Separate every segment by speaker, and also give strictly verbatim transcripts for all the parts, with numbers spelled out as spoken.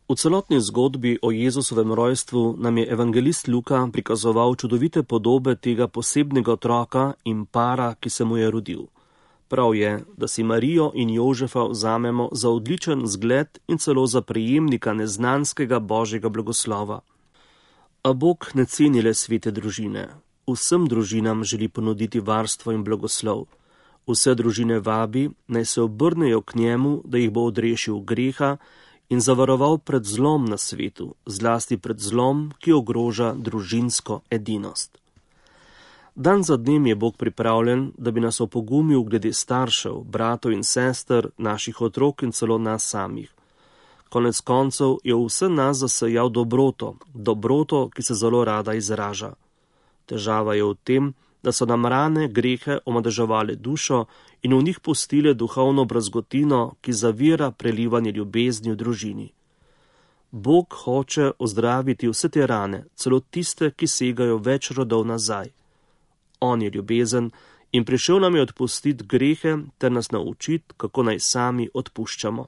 Speaker 1: V celotni zgodbi o Jezusovem rojstvu nam je evangelist Luka prikazoval čudovite podobe tega posebnega otroka in para, ki se mu je rodil. Prav je, da si Marijo in Jožefa vzamemo za odličen zgled in celo za prejemnika neznanskega božjega blagoslova. A Bog ne ceni le svete družine. Vsem družinam želi ponuditi varstvo in blagoslov. Vse družine vabi, naj se obrnejo k njemu, da jih bo odrešil greha in zavaroval pred zlom na svetu, zlasti pred zlom, ki ogroža družinsko edinost. Dan za dnem je Bog pripravljen, da bi nas opogumil glede staršev, bratov in sester, naših otrok in celo nas samih. Konec koncev je v vse nas zasejal dobroto, dobroto, ki se zelo rada izraža. Težava je v tem, da so nam rane, grehe omadeževale dušo in v njih pustile duhovno brazgotino, ki zavira prelivanje ljubezni v družini. Bog hoče ozdraviti vse te rane, celo tiste, ki segajo več rodov nazaj. On je ljubezen in prišel nam je odpustiti grehe ter nas naučiti, kako naj sami odpuščamo.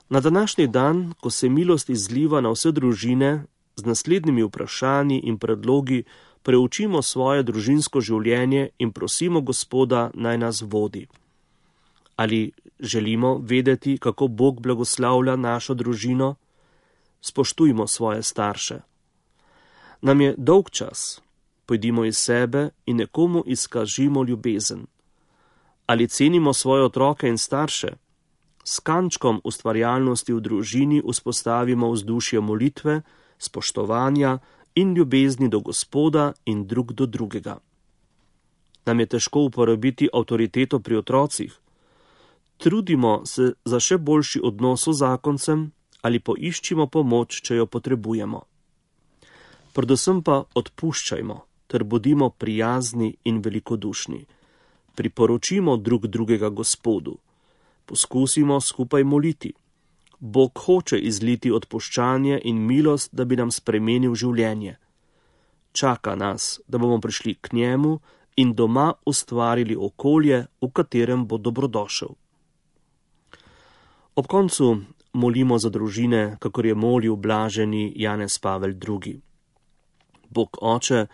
Speaker 1: Na današnji dan, ko se milost izliva na vse družine, z naslednjimi vprašanji in predlogi preučimo svoje družinsko življenje in prosimo Gospoda, naj nas vodi. Ali želimo vedeti, kako Bog blagoslavlja našo družino? Spoštujmo svoje starše. Nam je dolg čas. Pojdimo iz sebe in nekomu izkažimo ljubezen. Ali cenimo svoje otroke in starše? S kančkom ustvarjalnosti v družini vzpostavimo vzdušje molitve, spoštovanja in ljubezni do Gospoda in drug do drugega. Nam je težko uporabiti avtoriteto pri otrocih? Trudimo se za še boljši odnos z zakoncem ali poiščimo pomoč, če jo potrebujemo. Predvsem pa odpuščajmo ter bodimo prijazni in velikodušni. Priporočimo drug drugega Gospodu. Poskusimo skupaj moliti. Bog hoče izliti odpuščanje in milost, da bi nam spremenil življenje. Čaka nas, da bomo prišli k njemu in doma ustvarili okolje, v katerem bo dobrodošel. Ob koncu molimo za družine, kakor je molil blaženi Janez Pavel drugi. Bog Oče,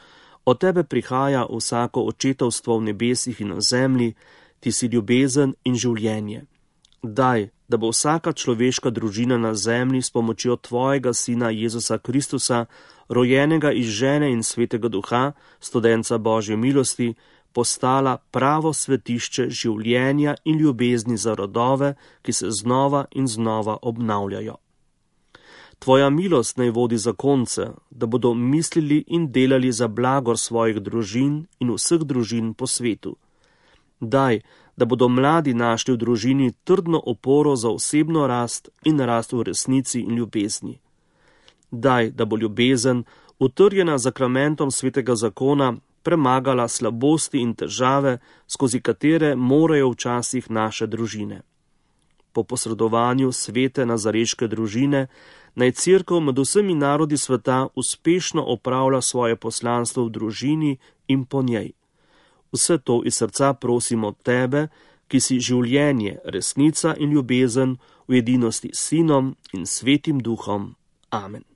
Speaker 1: od tebe prihaja vsako očetovstvo v nebesih in na zemlji, ti si ljubezen in življenje. Daj, da bo vsaka človeška družina na zemlji s pomočjo tvojega sina Jezusa Kristusa, rojenega iz žene in svetega duha, studenca Božje milosti, postala pravo svetišče življenja in ljubezni za rodove, ki se znova in znova obnavljajo. Tvoja milost naj vodi zakonce, da bodo mislili in delali za blagor svojih družin in vseh družin po svetu. Daj, da bodo mladi našli v družini trdno oporo za osebno rast in rast v resnici in ljubezni. Daj, da bo ljubezen, utrjena zakramentom svetega zakona, premagala slabosti in težave, skozi katere morajo včasih naše družine. Po posredovanju svete nazareške družine naj Cerkev med vsemi narodi sveta uspešno opravlja svoje poslanstvo v družini in po njej. Vse to iz srca prosimo tebe, ki si življenje, resnica in ljubezen v edinosti s Sinom in Svetim Duhom. Amen.